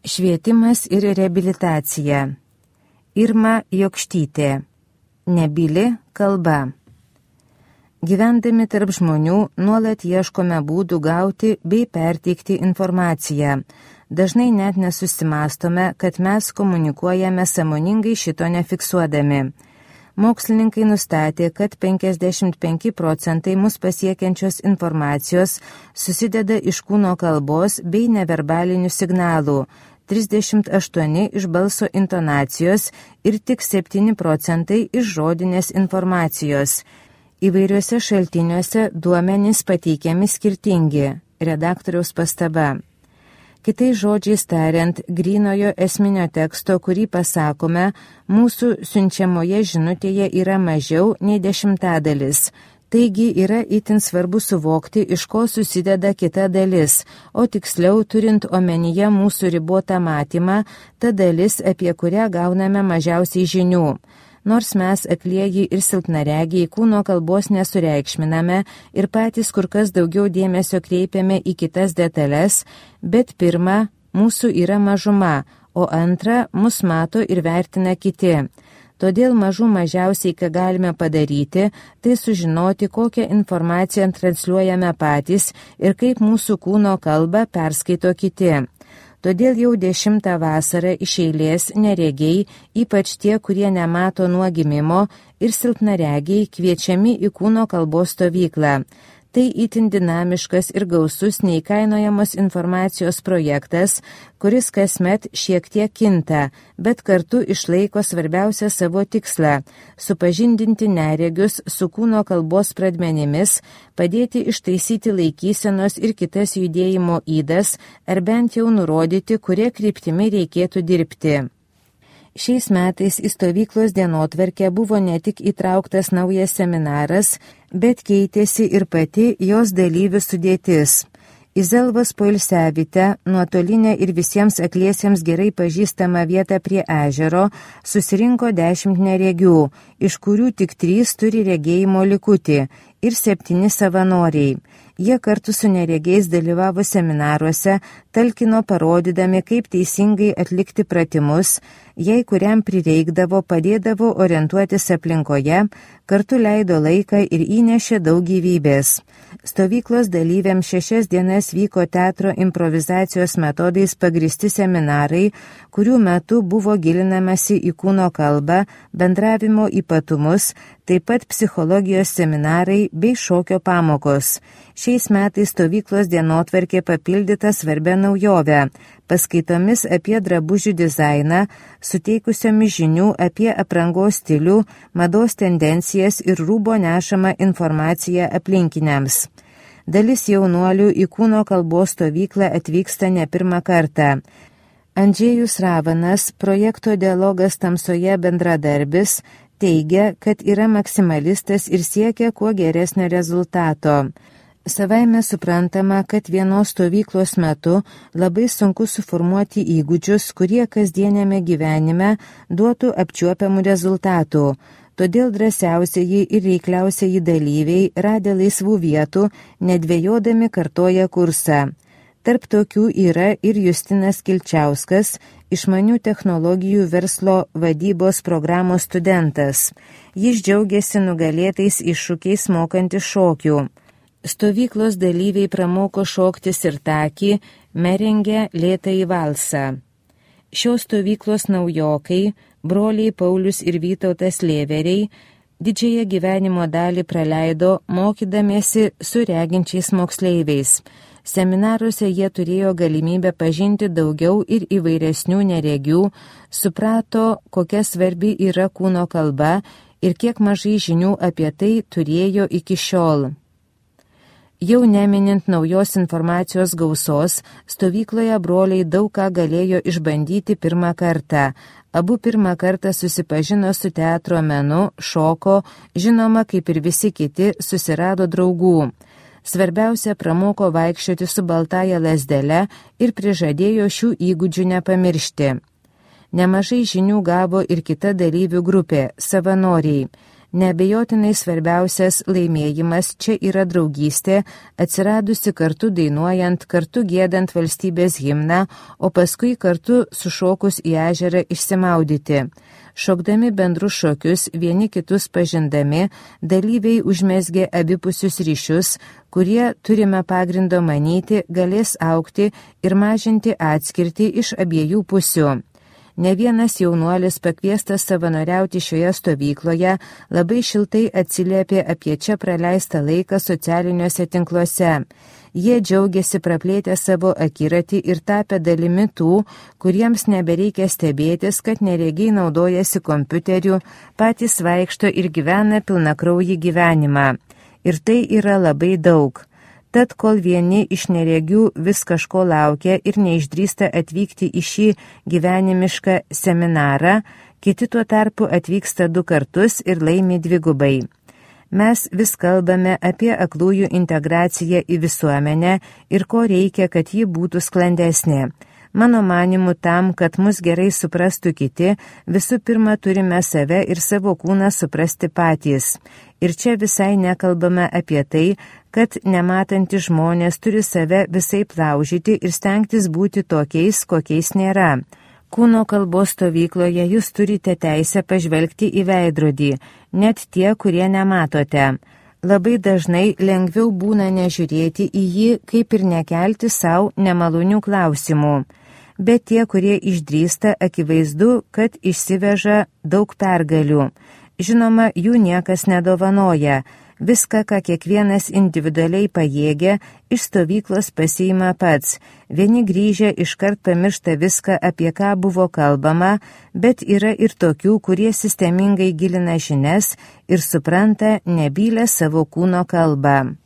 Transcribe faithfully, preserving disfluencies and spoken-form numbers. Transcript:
Švietimas ir reabilitacija. Irma Jokštytė. Nebyli kalba. Gyvendami tarp žmonių nuolat ieškome būdų gauti bei perteikti informaciją. Dažnai net nesusimastome, kad mes komunikuojame sąmoningai šito nefiksuodami. Mokslininkai nustatė, kad penkiasdešimt penki procentai mus pasiekiančios informacijos susideda iš kūno kalbos bei neverbalinių signalų, trisdešimt aštuoni iš balso intonacijos ir tik septyni procentai iš žodinės informacijos. Įvairiuose šaltiniuose duomenys pateikiami skirtingi. Redaktoriaus pastaba. Kitais žodžiais tariant, grynojo esminio teksto, kurį pasakome, mūsų siunčiamoje žinutėje yra mažiau nei dešimtadalis. Taigi yra itin svarbu suvokti, iš ko susideda kita dalis, o tiksliau turint omenyje mūsų ribotą matymą, ta dalis, apie kurią gauname mažiausiai žinių. Nors mes aklieji ir silpnaregiai kūno kalbos nesureikšminame ir patys kur kas daugiau dėmesio kreipiame į kitas detalės, bet pirma, mūsų yra mažuma, o antra, mus mato ir vertina kiti. Todėl mažų mažiausiai, ką galime padaryti, tai sužinoti, kokią informaciją transliuojame patys ir kaip mūsų kūno kalbą perskaito kiti. Todėl jau dešimtą vasarą iš eilės neregiai, ypač tie, kurie nemato nuo gimimo, ir silpnaregiai kviečiami į kūno kalbos stovyklą. Tai itin dinamiškas ir gausus neįkainojamos informacijos projektas, kuris kasmet šiek tiek kinta, bet kartu išlaiko svarbiausią savo tikslą – supažindinti neregius su kūno kalbos pradmenimis, padėti ištaisyti laikysenos ir kitas judėjimo ydas, ar bent jau nurodyti, kurie kryptimi reikėtų dirbti. Šiais metais į stovyklos dienotvarkę buvo ne tik įtrauktas naujas seminaras, bet keitėsi ir pati jos dalyvių sudėtis. Į Zelvos poilsiavietę, nuotolinę ir visiems akliesiems gerai pažįstamą vietą prie ežero, susirinko dešimt neregių, iš kurių tik trys turi regėjimo likutį ir septyni savanoriai. Jie kartu su neregiais dalyvavo seminaruose, talkino parodydami, kaip teisingai atlikti pratimus, jei kuriam prireikdavo, padėdavo orientuotis aplinkoje, kartu leido laiką ir įnešė daug gyvybės. Stovyklos dalyviams šešias dienas vyko teatro improvizacijos metodais pagristi seminarai, kurių metu buvo gilinamasi į kūno kalbą, bendravimo ypatumus, taip pat psichologijos seminarai bei šokio pamokos. Šiais metais stovyklos dienotvarkė papildyta svarbia naujove – paskaitomis apie drabužių dizainą, suteikusiomis žinių apie aprangos stilių, mados tendencijas ir rūbo nešamą informaciją aplinkiniams. Dalis jaunuolių į kūno kalbos stovyklą atvyksta ne pirmą kartą. Andžėjus Ravanas, projekto Dialogas tamsoje bendradarbis, teigia, kad yra maksimalistas ir siekia kuo geresnio rezultato. Savaime suprantama, kad vienos stovyklos metu labai sunku suformuoti įgūdžius, kurie kasdienėme gyvenime duotų apčiuopiamų rezultatų. Todėl drąsiausiai ir reikliausiai dalyviai, radę laisvų vietų, nedvejodami kartoja kursą. Tarp tokių yra ir Justinas Kilčiauskas, išmanių technologijų verslo vadybos programos studentas. Jis džiaugiasi nugalėtais iššūkiais mokantis šokių. Stovyklos dalyviai pramoko šokti sirtakį, merengę lėtąjį valsą. Šios stovyklos naujokai, broliai Paulius ir Vytautas Lėveriai, didžiąją gyvenimo dalį praleido mokydamiesi su reginčiais moksleiviais. Seminaruose jie turėjo galimybę pažinti daugiau ir įvairesnių neregių, suprato, kokia svarbi yra kūno kalba ir kiek mažai žinių apie tai turėjo iki šiol. Jau neminint naujos informacijos gausos, stovykloje broliai daug ką galėjo išbandyti pirmą kartą. Abu pirmą kartą susipažino su teatro menu, šoko, žinoma, kaip ir visi kiti, susirado draugų. Svarbiausia, pramoko vaikščioti su baltaja lazdele ir prižadėjo šių įgūdžių nepamiršti. Nemažai žinių gavo ir kita dalyvių grupė – savanoriai. Neabejotinai svarbiausias laimėjimas čia yra draugystė, atsiradusi kartu dainuojant, kartu giedant valstybės himną, o paskui kartu sušokus į ežerą išsimaudyti. Šokdami bendrus šokius, vieni kitus pažindami, dalyviai užmesgė abipusius ryšius, kurie, turime pagrindo manyti, galės augti ir mažinti atskirtį iš abiejų pusių. Ne vienas jaunuolis pakviestas savanoriauti šioje stovykloje labai šiltai atsiliepė apie čia praleistą laiką socialiniuose tinkluose. Jie džiaugiasi praplėtę savo akiratį ir tapę dalimi tų, kuriems nebereikia stebėtis, kad neregiai naudojasi kompiuteriu, patys vaikšto ir gyvena pilnakraujį gyvenimą. Ir tai yra labai daug. Tad kol vieni iš neregių vis kažko laukia ir neišdrįsta atvykti į šį gyvenimišką seminarą, kiti tuo tarpu atvyksta du kartus ir laimi dvigubai. Mes vis kalbame apie aklųjų integraciją į visuomenę ir ko reikia, kad ji būtų sklandesnė. Mano manimu, tam, kad mus gerai suprastų kiti, visų pirma turime save ir savo kūną suprasti patys. Ir čia visai nekalbame apie tai, kad nematantys žmonės turi save visai laužyti ir stengtis būti tokiais, kokiais nėra. Kūno kalbos stovykloje jūs turite teisę pažvelgti į veidrodį, net tie, kurie nematote. Labai dažnai lengviau būna nežiūrėti į jį, kaip ir nekelti savo nemalonių klausimų. Bet tie, kurie išdrįsta, akivaizdu, kad išsiveža daug pergalių. Žinoma, jų niekas nedovanoja. Viską, ką kiekvienas individualiai pajėgia, iš stovyklos pasiima pats. Vieni grįžę iškart pamiršta viską, apie ką buvo kalbama, bet yra ir tokių, kurie sistemingai gilina žinias ir supranta nebylę savo kūno kalbą.